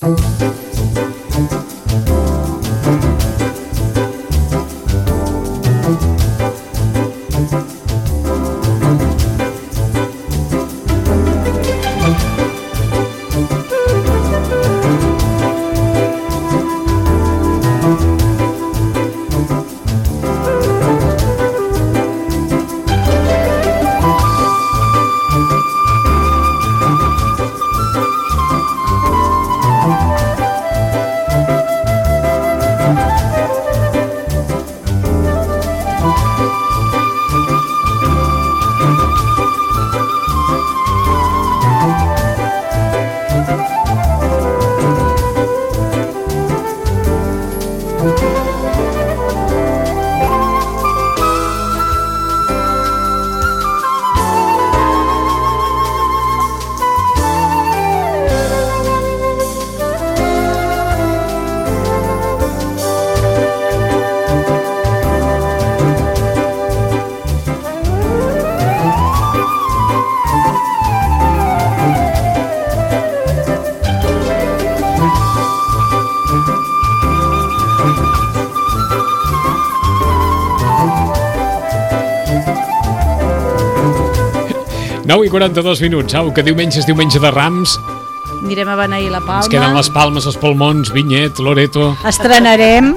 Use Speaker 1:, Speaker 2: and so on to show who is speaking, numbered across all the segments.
Speaker 1: 9 i 42 minuts, au, que diumenge és diumenge de Rams.
Speaker 2: Anirem a beneir la Palma.
Speaker 1: Ens queden les Palmes, els Palmons, Vinyet, Loreto.
Speaker 2: Estrenarem.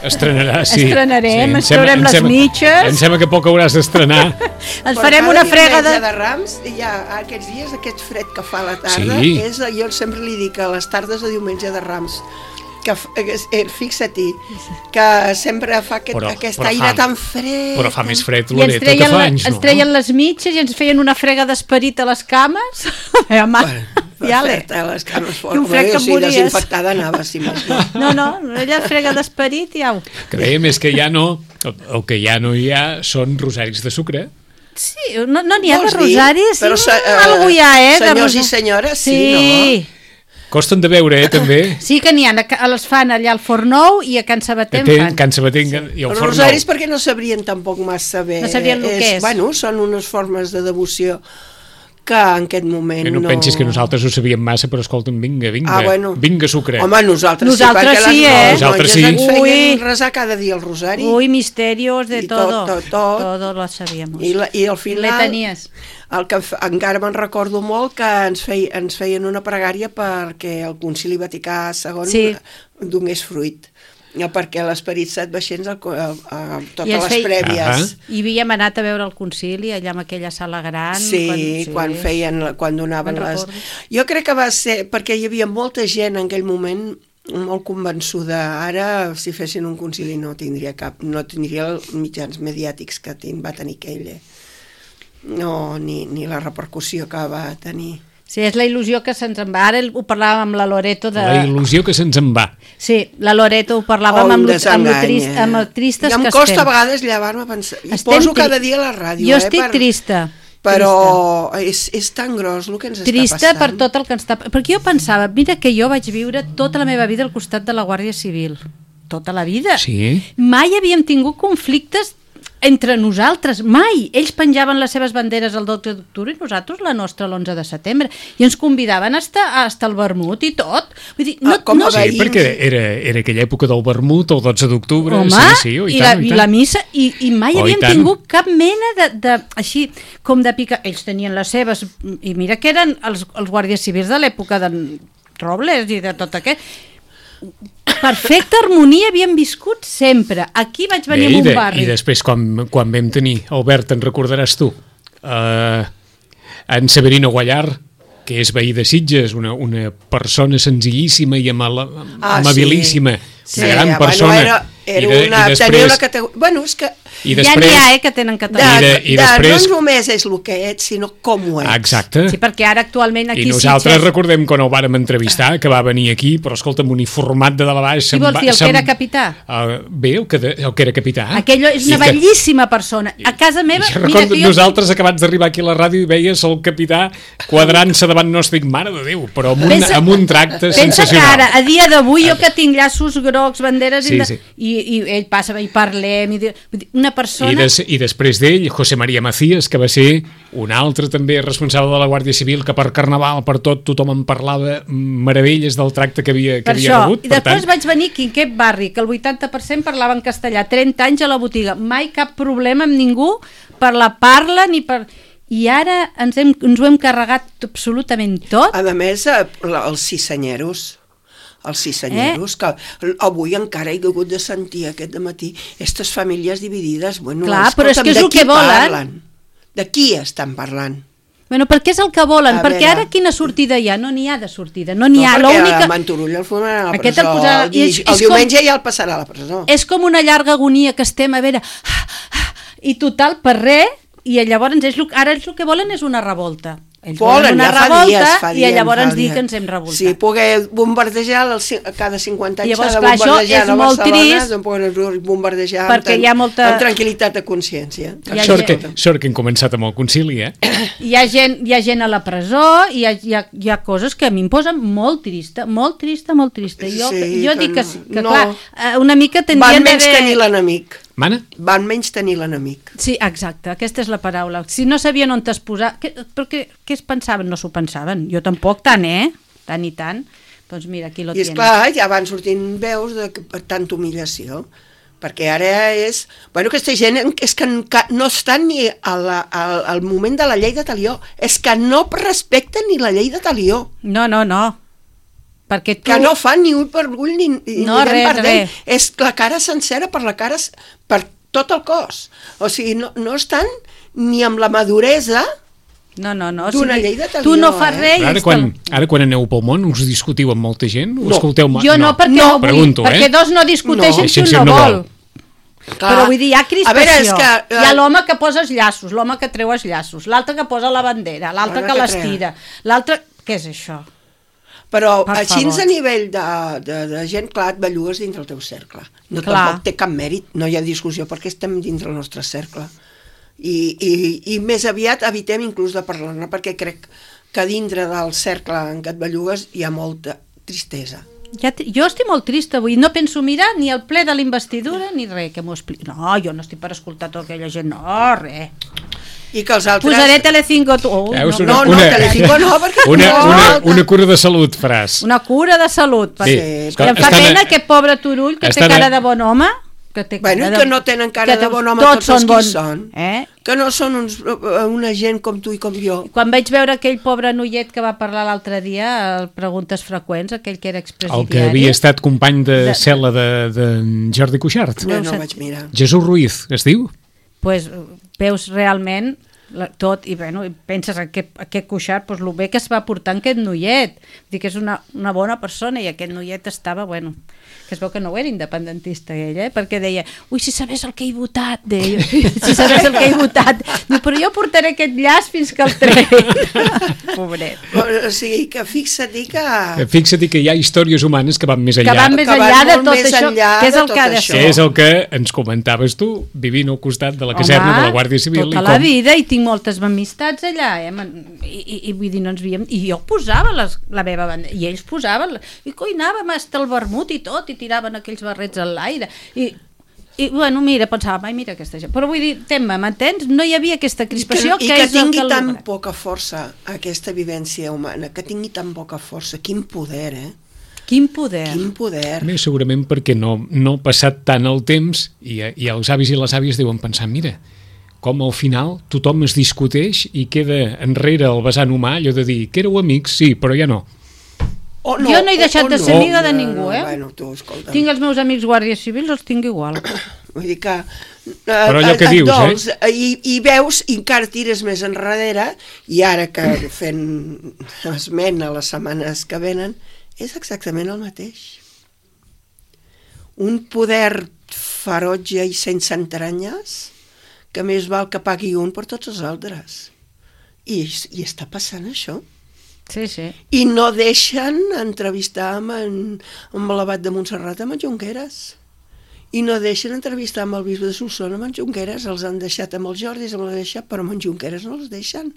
Speaker 1: Estrenarà, sí.
Speaker 2: Estrenarem, ens traurem les mitges.
Speaker 1: Em sembla que poc hauràs d'estrenar.
Speaker 2: Ens farem una frega
Speaker 3: de Rams, i ja aquests dies, aquest fred que fa a la tarda,
Speaker 1: sí.
Speaker 3: Jo sempre li dic a les tardes de diumenge de Rams, que fixa-t'hi, que sempre fa aquest aire tan fred.
Speaker 1: Però fa més fred, Loreto, que fa anys, no?
Speaker 2: Ens treien les mitges i ens feien una frega d'esperit a les cames.
Speaker 3: Perfecte, les cames fort. O sigui, desinfectada anava, si més no.
Speaker 2: No, ella frega d'esperit i au.
Speaker 1: Que dèiem és que ja no, el que ja no hi ha són rosaris de sucre.
Speaker 2: Sí, no n'hi ha de rosaris, algú hi ha,
Speaker 3: senyors i senyores, sí, no?
Speaker 1: Costen de veure, també.
Speaker 2: Sí que n'hi ha, les fan allà al Forn Nou i a Can Sabater fan.
Speaker 1: Can Sabater i al Forn Nou.
Speaker 3: Els rosaris perquè no sabrien tampoc massa bé.
Speaker 2: No sabrien el que és.
Speaker 3: Bueno, són unes formes de devoció que en aquest moment
Speaker 1: no pensis que nosaltres ho sabíem massa, però escolta'm, vinga, vinga sucre.
Speaker 3: Home, nosaltres
Speaker 2: sí, perquè
Speaker 1: nosaltres sí.
Speaker 3: Ens feien resar cada dia el rosari.
Speaker 2: Ui, misterios de todo.
Speaker 3: Todo
Speaker 2: lo sabíamos.
Speaker 3: I al final...
Speaker 2: Letanies.
Speaker 3: El que encara me'n recordo molt que ens feien una pregària perquè el Concili Vaticà II donés fruit, perquè l'Esperit Sant baixés a totes les prèvies.
Speaker 2: I havíem anat a veure el concili allà en aquella sala gran.
Speaker 3: Sí, quan donaven les... Jo crec que va ser perquè hi havia molta gent en aquell moment molt convençuda. Ara, si fessin un concili no tindria els mitjans mediàtics que va tenir aquell. No, ni la repercussió que va tenir.
Speaker 2: Sí, és la il·lusió que se'ns en va. Ara ho parlàvem amb la Loreto de...
Speaker 1: La il·lusió que se'ns en va.
Speaker 2: Sí, la Loreto ho parlàvem amb tristes que estem.
Speaker 3: I em costa a vegades llevar-me a pensar. I poso cada dia a la ràdio.
Speaker 2: Jo estic trista.
Speaker 3: Però és tan gros el que ens està passant.
Speaker 2: Trista per tot el que ens està... Perquè jo pensava, mira que jo vaig viure tota la meva vida al costat de la Guàrdia Civil. Tota la vida.
Speaker 1: Sí.
Speaker 2: Mai havíem tingut conflictes entre nosaltres, mai. Ells penjaven les seves banderes el 12 d'octubre i nosaltres la nostra l'11 de setembre. I ens convidaven a estar al vermut i tot. Vull dir,
Speaker 1: sí, perquè era aquella època del vermut, el 12 d'octubre.
Speaker 2: Home, i la missa, i mai havíem tingut cap mena de així, com de picar. Ells tenien les seves, i mira que eren els guàrdies civils de l'època de Robles i de tot aquest. Perfecta harmonia havíem viscut sempre. Aquí vaig venir a un barri.
Speaker 1: I després quan vam tenir, Albert, te'n recordaràs tu, en Severino Guallar, que és veí de Sitges, una persona senzillíssima i amabilíssima, una gran persona.
Speaker 3: Tenia una categoria... Bueno, és que...
Speaker 2: Ja n'hi ha, que tenen català.
Speaker 3: No només és el que ets, sinó com ho ets.
Speaker 1: Exacte.
Speaker 2: Sí, perquè ara actualment aquí...
Speaker 1: I nosaltres recordem quan ho vàrem entrevistar, que va venir aquí, però escolta'm, uniformat de dalt a baix...
Speaker 2: Qui vols dir, el que era capità?
Speaker 1: Bé, el que era capità.
Speaker 2: Aquell és una bellíssima persona. A casa meva...
Speaker 1: Nosaltres acabats d'arribar aquí a la ràdio i veies el capità quadrant-se davant nostre, dic, mare de Déu, però amb un tracte sensacional.
Speaker 2: Pensa que ara, a dia d'avui, jo que tinc llaços grocs, banderes... I ell passa i parlem... una persona...
Speaker 1: I després d'ell, José María Macías, que va ser un altre també responsable de la Guàrdia Civil, que per Carnaval, per tot, tothom en parlava meravelles del tracte que havia rebut.
Speaker 2: I després vaig venir aquí, en aquest barri, que el 80% parlava en castellà, 30 anys a la botiga, mai cap problema amb ningú per la parla ni per... I ara ens ho hem carregat absolutament tot.
Speaker 3: A més, els cissenyeros, que avui encara he hagut de sentir aquest dematí, aquestes famílies dividides, bueno,
Speaker 2: clar, però és que és el que volen.
Speaker 3: Parlen? De qui estan parlant?
Speaker 2: Bueno, perquè és el que volen, perquè ara quina sortida hi ha? No n'hi ha de sortida, no n'hi ha.
Speaker 3: Perquè Manturull el fumaran a la presó, el diumenge ja el passarà a la presó.
Speaker 2: És com una llarga agonia que estem a veure, i total, per res, i llavors ara ells el que volen és una revolta. Ells volen una revolta i llavors dir que ens hem revoltat.
Speaker 3: Sí, poder bombardejar cada 50 anys
Speaker 2: llavors,
Speaker 3: s'ha de bombardejar a Barcelona, doncs poden bombardejar amb tranquil·litat de consciència.
Speaker 1: Sort que hem començat amb el concili,
Speaker 2: Hi ha gent a la presó, hi ha coses que a mi em posen molt trista. Jo dic que clar, una mica tendrien d'haver...
Speaker 3: Van menys tenir l'enemic.
Speaker 1: Mana?
Speaker 3: Van menys tenir l'enemic.
Speaker 2: Sí, exacte, aquesta és la paraula. Si no sabien on es posar... Què es pensaven? No s'ho pensaven. Jo tampoc tant, tant i tant. Doncs mira, aquí lo tienes.
Speaker 3: I esclar, ja van sortint veus per tanta humillació. Perquè ara és... Bueno, aquesta gent és que no estan ni al moment de la llei de talió. És que no respecten ni la llei de talió.
Speaker 2: No. Perquè
Speaker 3: que no fan ni ull per ull ni
Speaker 2: res.
Speaker 3: És la cara sencera per tot el cos. O sigui, no estan ni amb la maduresa d'una llei de talió.
Speaker 2: Tu no fas res.
Speaker 1: Ara quan aneu pel món us discutiu amb molta gent? Ho escolteu?
Speaker 2: Jo no, perquè dos no discuteixen si un no vol. Però vull dir, hi ha crispació. Hi ha l'home que posa els llaços, l'home que treu els llaços, l'altre que posa la bandera, l'altre que l'estira, l'altre... Què és això?
Speaker 3: Però així a nivell de gent, clar, et bellugues dintre el teu cercle. Tampoc té cap mèrit, no hi ha discussió perquè estem dintre el nostre cercle. I més aviat evitem inclús de parlar-ne perquè crec que dintre del cercle en què et bellugues hi ha molta tristesa.
Speaker 2: Jo estic molt trista avui, no penso mirar ni el ple de la investidura ni res que m'ho expliqui. No, jo no estic per escoltar tota aquella gent, no, res.
Speaker 3: I que els altres...
Speaker 2: Posaré Telecinco...
Speaker 3: Telecinco no, perquè...
Speaker 1: Una cura de salut faràs.
Speaker 2: Una cura de salut. Em fa pena aquest pobre Turull que té cara de bon home.
Speaker 3: Que no tenen cara de bon home tots els qui són. Que no són una gent com tu i com jo.
Speaker 2: Quan vaig veure aquell pobre noiet que va parlar l'altre dia a Preguntes Freqüents, aquell que era expresidiari...
Speaker 1: El que havia estat company de cel·la de Jordi Cuixart.
Speaker 3: No vaig mirar.
Speaker 1: Jesús Ruiz, es diu?
Speaker 2: Pues veus realment tot i penses aquest Cuixart, el bé que es va portar en aquest noiet, que és una bona persona, i aquest noiet estava, que es veu que no era independentista ell, perquè deia, si sabés el que he votat, si sabés el que he votat, però jo portaré aquest llaç fins que el treguin. Pobret.
Speaker 3: O sigui, que fixa't
Speaker 1: que hi ha històries humanes que van més enllà.
Speaker 2: Que van més enllà de tot això, que és el que ha de ser.
Speaker 1: Que és el que ens comentaves tu, vivint al costat de la caserna de la Guàrdia Civil.
Speaker 2: Tota la vida, i tinc moltes amistats allà, i vull dir, no ens veiem, i jo posava la meva bandera, i ells posaven, i anàvem hasta el vermut i tot, i tiraven aquells barrets a l'aire, i mira, pensava, mira aquesta gent, però vull dir, m'entens? No hi havia aquesta crispació
Speaker 3: i que tingui tan poca força aquesta vivència humana, que tingui tan poca força, quin poder,
Speaker 2: Quin poder.
Speaker 1: Segurament perquè no ha passat tant el temps i els avis i les àvies deuen pensar, mira, com al final tothom es discuteix i queda enrere el vessant humà, allò de dir que éreu amics, sí, però ja no.
Speaker 2: Jo no he deixat de ser amiga de ningú, Tinc els meus amics guàrdies civils, els tinc igual.
Speaker 3: Vull dir que...
Speaker 1: Però allò que dius,
Speaker 3: I veus, i encara tires més enrere, i ara que fent esment a les setmanes que venen, és exactament el mateix. Un poder ferotge i sense entranyes que més val que pagui un per tots els altres. I està passant això.
Speaker 2: Sí.
Speaker 3: I no deixen entrevistar amb l'abat de Montserrat, amb en Junqueras. I no deixen entrevistar amb el bisbe de Solsona, amb en Junqueras. Els han deixat amb els Jordis, però amb en Junqueras no els deixen.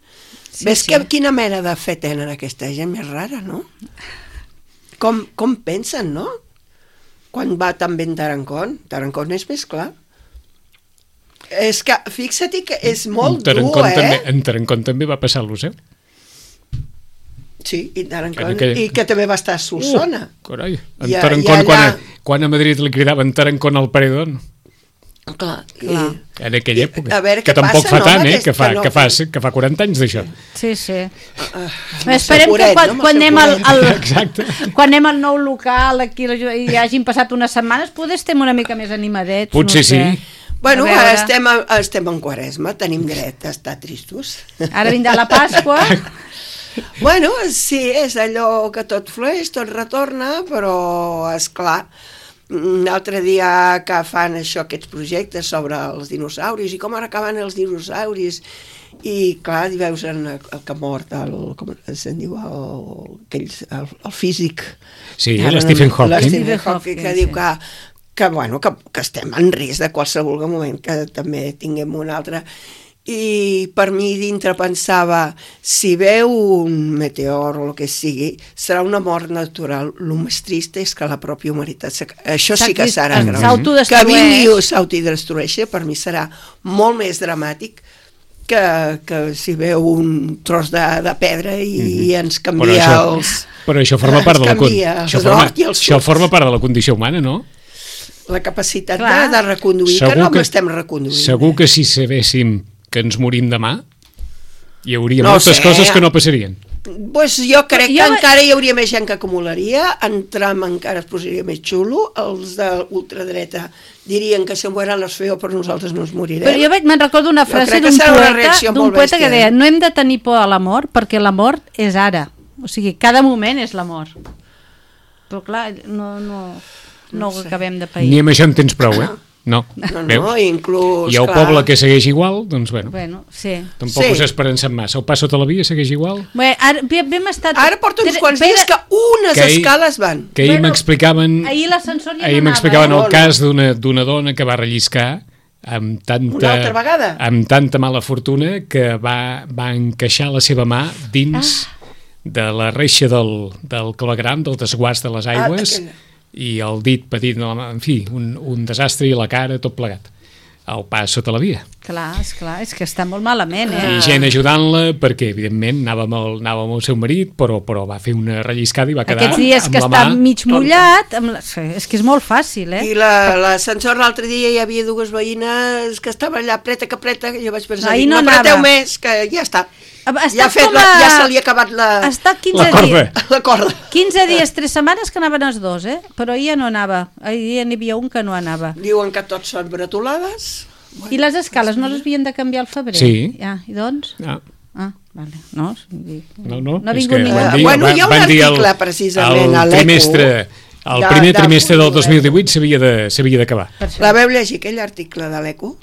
Speaker 3: Ves quina mena de fe tenen aquesta gent més rara, no? Com pensen, no? Quan va tan ben Tarancón és més clar. És que, fixa-t'hi que és molt dur,
Speaker 1: En Tarancón també va passar al Liceu.
Speaker 3: Sí, i que també va estar a Solsona.
Speaker 1: Carai, en Tarancón, quan a Madrid li cridaven Tarancón al paredón.
Speaker 3: Clar.
Speaker 1: En aquella època. Que tampoc fa tant, que fa 40 anys d'això.
Speaker 2: Sí. Esperem que quan anem al nou local aquí i hagin passat unes setmanes, potser estem una mica més animadets.
Speaker 1: Potser sí.
Speaker 3: Bueno, estem en Quaresma, tenim dret a estar tristos.
Speaker 2: Ara vindrà la Pasqua.
Speaker 3: Bueno, sí, és allò que tot flueix, tot retorna, però és clar, l'altre dia que fan aquests projectes sobre els dinosauris i com ara acaben els dinosauris, i clar, hi veus el que ha mort, com se'n diu, el físic.
Speaker 1: Sí, l'Stephen
Speaker 3: Hawking, que diu que estem en risc de qualsevol moment, que també tinguem un altre. I per mi dintre pensava, si veu un meteor o el que sigui, serà una mort natural. El més trist és que la pròpia humanitat, això sí que serà greu. Que vingui i s'autodestrueixi, per mi serà molt més dramàtic que si veu un tros de pedra i ens canvia
Speaker 1: Però això forma part de la condició humana, no?
Speaker 3: La capacitat de reconduir, que no m'estem reconduint.
Speaker 1: Segur que si sabéssim que ens morim demà, hi hauria moltes coses que no passarien.
Speaker 3: Pues jo crec que encara hi hauria més gent que acumularia, en Trump encara es posaria més xulo, els de l'ultradreta dirien que se mueran los feos, però nosaltres no ens morirem.
Speaker 2: Però jo me'n recordo una frase d'un poeta que deia, no hem de tenir por a la mort, perquè la mort és ara. O sigui, cada moment és la mort. Però clar, no ho acabem de pair.
Speaker 1: Ni amb això en tens prou, No,
Speaker 3: inclús...
Speaker 1: I el poble que segueix igual, doncs tampoc us esperencem massa. El pas sota la via segueix igual?
Speaker 3: Ara porta uns quants dies que unes escales van.
Speaker 1: Que ahir m'explicaven...
Speaker 2: Ahir l'ascensor ja
Speaker 1: no anava. Ahir m'explicaven el cas d'una dona que va relliscar amb tanta mala fortuna que va encaixar la seva mà dins de la reixa del clavegram, del desguàs de les aigües, i el dit petit, en fi, un desastre, i la cara, tot plegat. El pas sota la via.
Speaker 2: Clar, és que està molt malament,
Speaker 1: I gent ajudant-la, perquè, evidentment, anava amb el seu marit, però va fer una relliscada i va quedar amb la mà...
Speaker 2: Aquests dies que està mig mullat, és que és molt fàcil,
Speaker 3: I l'ascensor l'altre dia hi havia dues veïnes que estaven allà, preta, que jo vaig pensar, no apreteu més, que ja està. Ja se li ha acabat la corda.
Speaker 2: 15 dies, 3 setmanes que anaven els dos, però ahir ja no anava. Ahir n'hi havia un que no anava.
Speaker 3: Diuen que tots són bretolades.
Speaker 2: I les escales no les havien de canviar al febrer?
Speaker 1: Sí.
Speaker 2: I doncs? Vale. No
Speaker 1: ha
Speaker 2: vingut ningú.
Speaker 3: Bueno, hi ha un article precisament a l'ECO.
Speaker 1: El primer trimestre del 2018 s'havia d'acabar.
Speaker 3: La veu llegir, aquell article de l'ECO?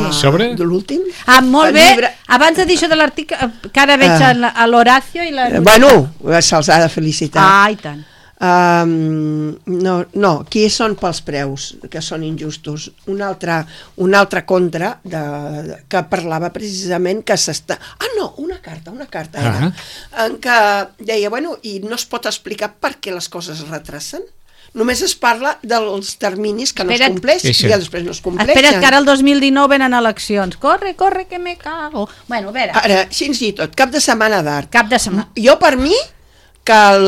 Speaker 1: Sobre?
Speaker 3: De l'últim.
Speaker 2: Molt bé. Abans de dir això de l'article, que ara veig a l'Horacio i la...
Speaker 3: Bueno, se'ls ha de felicitar.
Speaker 2: I tant.
Speaker 3: No, aquí són pels preus, que són injustos. Un altre contra que parlava precisament que s'està... una carta era, en què deia, i no es pot explicar per què les coses es retrasen. Només es parla dels terminis que no es compleixen i després no es compleixen.
Speaker 2: Espera't, que ara el 2019 venen eleccions. Corre, que me cago. Bueno, a veure.
Speaker 3: Ara, així i tot, cap de setmana d'art.
Speaker 2: Cap de setmana.
Speaker 3: Jo, per mi, que el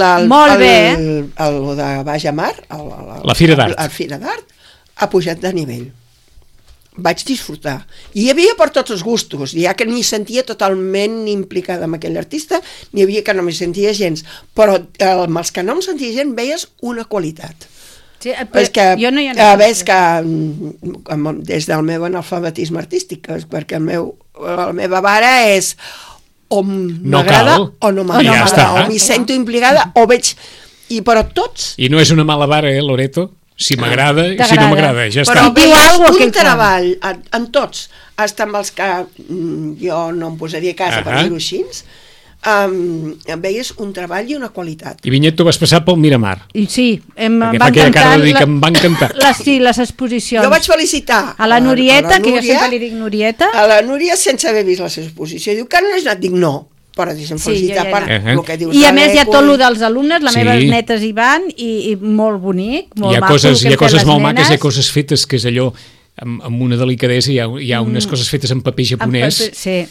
Speaker 3: de Baix a Mar,
Speaker 1: la Fira d'Art,
Speaker 3: ha pujat de nivell. Vaig disfrutar. I hi havia per tots els gustos, ja que ni sentia totalment implicada amb aquell artista, n'hi havia que no m'hi sentia gens, però amb els que no em sentia gent veies una qualitat.
Speaker 2: Sí, jo no hi ha
Speaker 3: ves que des del meu analfabetisme artístic, perquè la meva vara és o m'agrada o no m'agrada, o m'hi sento implicada o veig, però tots...
Speaker 1: I no és una mala vara, Loreto? Si m'agrada i si no m'agrada, ja està.
Speaker 3: Però veies un treball en tots, hasta amb els que jo no em posaria a casa per dir-ho així, veies un treball i una qualitat.
Speaker 1: I Vinyet, tu vas passar pel Miramar.
Speaker 2: Sí, em
Speaker 1: va encantar.
Speaker 2: Les exposicions.
Speaker 3: Jo vaig felicitar
Speaker 2: a la Nurieta, que jo sempre li dic Nurieta.
Speaker 3: A la Núria sense haver vist la seva exposició. Diu que no has anat, dic no. Per felicitar per el que dius.
Speaker 2: I a més hi ha tot el dels alumnes, les meves netes hi van, i molt bonic, molt maco.
Speaker 1: Hi ha coses molt maques, hi ha coses fetes que és allò amb una delicadesa, hi ha unes coses fetes en paper japonès,
Speaker 2: sí,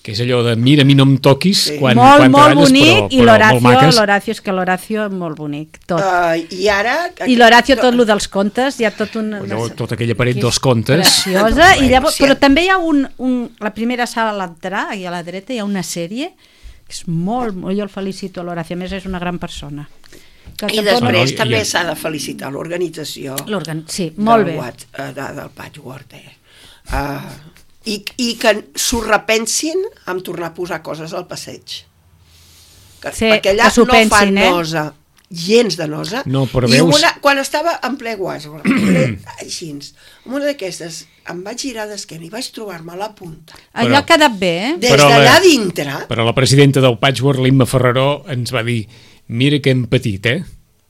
Speaker 1: que és allò de mira, a mi no em toquis quan
Speaker 2: molt
Speaker 1: treballes,
Speaker 2: bonic,
Speaker 1: però molt maques.
Speaker 2: L'Horacio, és que l'Horacio és molt bonic, tot.
Speaker 3: I ara...
Speaker 2: I l'Horacio, tot el dels contes, hi ha tot un...
Speaker 1: Tota aquella paret dels contes.
Speaker 2: Preciosa, i llavors, però també hi ha la primera sala a l'entrar, i a la dreta hi ha una sèrie, que és molt, jo el felicito a l'Horacio, a més és una gran persona.
Speaker 3: I després també s'ha de felicitar l'organització.
Speaker 2: Sí, molt bé.
Speaker 3: Del Patchwork, I que s'ho repensin amb tornar a posar coses al passeig. Perquè allà no fan nosa, gens de nosa.
Speaker 1: No, però
Speaker 3: I
Speaker 1: veus...
Speaker 3: quan estava en ple Guasbro, així, una d'aquestes, em vaig girar d'esquena i vaig trobar-me a la punta.
Speaker 2: Allò ha quedat bé,
Speaker 3: Des d'allà dintre...
Speaker 1: Però la presidenta del Patchwork, l'Imma Ferreró, ens va dir, mira que hem patit,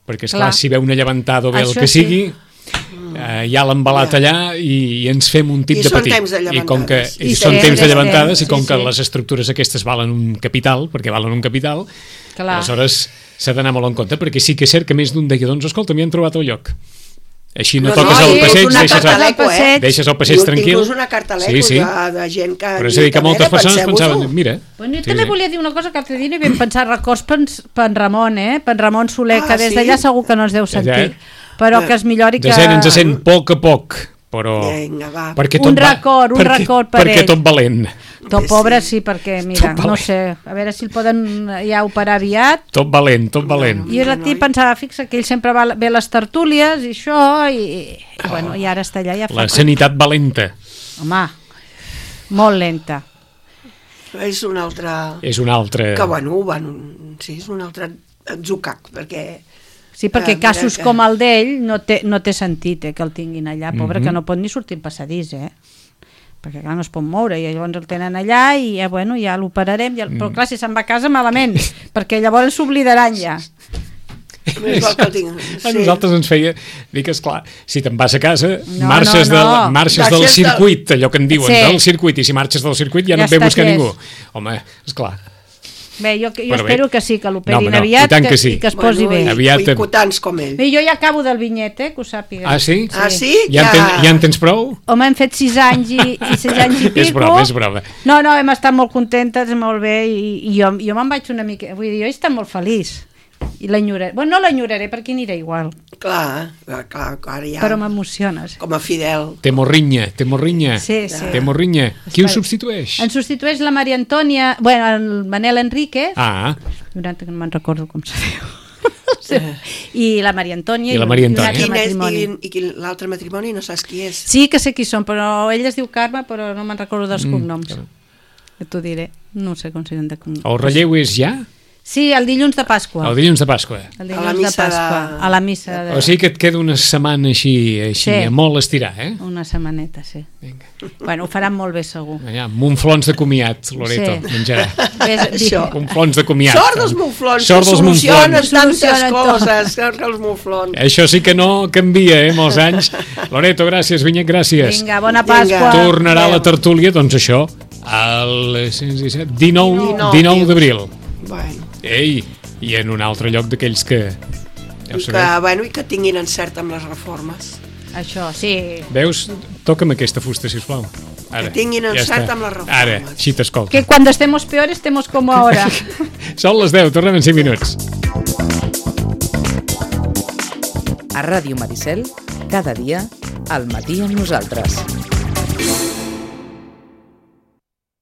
Speaker 1: perquè esclar, si veu una llevantada o bé el que sigui... ja l'ha embalat allà i ens fem un tip de petit. I són temps de llevantades i com que les estructures aquestes valen un capital, perquè valen un capital, aleshores s'ha d'anar molt en compte, perquè sí que és cert que més d'un deia, doncs escolta, m'hi han trobat el lloc. Així no toques el passeig, deixes el passeig tranquil.
Speaker 3: Inclús una carta de gent que...
Speaker 1: Però és a dir, que moltes persones pensaven, mira...
Speaker 2: Jo també volia dir una cosa que l'altre dia no hi vam pensar, records per Ramon, per Ramon Soler, que des d'allà segur que no es deu sentir. Però que es millori que...
Speaker 1: Ens sent a poc a poc, però...
Speaker 3: Vinga, va.
Speaker 2: Un record per ell.
Speaker 1: Perquè tot valent.
Speaker 2: Tot pobre sí, perquè, mira, no sé, a veure si el poden ja operar aviat.
Speaker 1: Tot valent.
Speaker 2: I jo pensava, fixa, que ell sempre ve a les tertúlies i això, i ara està allà.
Speaker 1: La sanitat valenta.
Speaker 2: Home, molt lenta.
Speaker 3: És un altre... Que, sí, és un altre atzucac, perquè...
Speaker 2: Sí, perquè casos com el d'ell no té sentit que el tinguin allà, pobre, que no pot ni sortir al passadís, perquè clar, no es pot moure, i llavors el tenen allà i ja l'operarem, però clar, si se'n va a casa malament, perquè llavors s'oblidaran ja.
Speaker 1: A nosaltres ens feia dir que, esclar, si te'n vas a casa, marxes del circuit, allò que en diuen, del circuit, i si marxes del circuit ja no et ve a buscar ningú. Home, esclar.
Speaker 2: Bé, jo espero que sí, que l'operin aviat i que es posi bé.
Speaker 3: Boicotants com ell.
Speaker 2: Bé, jo ja acabo del vinyet, que ho sàpiga.
Speaker 1: Ah, sí?
Speaker 3: Ja
Speaker 1: en tens prou?
Speaker 2: Home, hem fet 6 anys i 6 anys i pico.
Speaker 1: És broma.
Speaker 2: No, hem estat molt contentes, molt bé, i jo me'n vaig una mica... Vull dir, jo he estat molt feliç. I l'enyoraré. Bueno, no l'enyoraré perquè aniré igual.
Speaker 3: Clar, ara ja...
Speaker 2: Però m'emociones.
Speaker 3: Com a Fidel.
Speaker 1: Té morrinya.
Speaker 2: Sí.
Speaker 1: Té morrinya. Qui ho substitueix?
Speaker 2: Ens substitueix la Maria Antònia... Bueno, el Manel Enríquez. Que no me'n recordo com se diu. I la Maria Antònia.
Speaker 1: I
Speaker 3: l'altre matrimoni no saps qui és.
Speaker 2: Sí que sé qui són, però ell es diu Carme, però no me'n recordo dels cognoms. Que t'ho diré. No sé com se diuen de cognoms.
Speaker 1: El relleu és ja?
Speaker 2: Sí, el dilluns de Pasqua.
Speaker 1: El dilluns de Pasqua.
Speaker 2: A la missa.
Speaker 1: O sigui que et queda una setmana així molt estirar,
Speaker 2: Una setmaneta, sí. Vinga. Bueno, ho faran molt bé, segur.
Speaker 1: Munflons de comiat, Loreto, menjarà. Munflons de comiat.
Speaker 3: Sort dels munflons, solucionen tantes coses, els munflons.
Speaker 1: Això sí que no canvia, molts anys. Loreto, gràcies, Vinyet, gràcies.
Speaker 2: Vinga, bona Pasqua.
Speaker 1: Tornarà la tertúlia, doncs això, el 19 d'abril.
Speaker 3: Bueno.
Speaker 1: I en un altre lloc d'aquells que...
Speaker 3: I que tinguin encert amb les reformes.
Speaker 2: Això, sí.
Speaker 1: Veus? Toca'm aquesta fusta, sisplau.
Speaker 3: Que tinguin encert amb les reformes.
Speaker 1: Ara, així t'escolto.
Speaker 2: Que cuando estemos peores, estemos como ahora.
Speaker 1: Són les 10, tornem en 5 minuts.
Speaker 4: A Ràdio Maricel, cada dia, al matí amb nosaltres.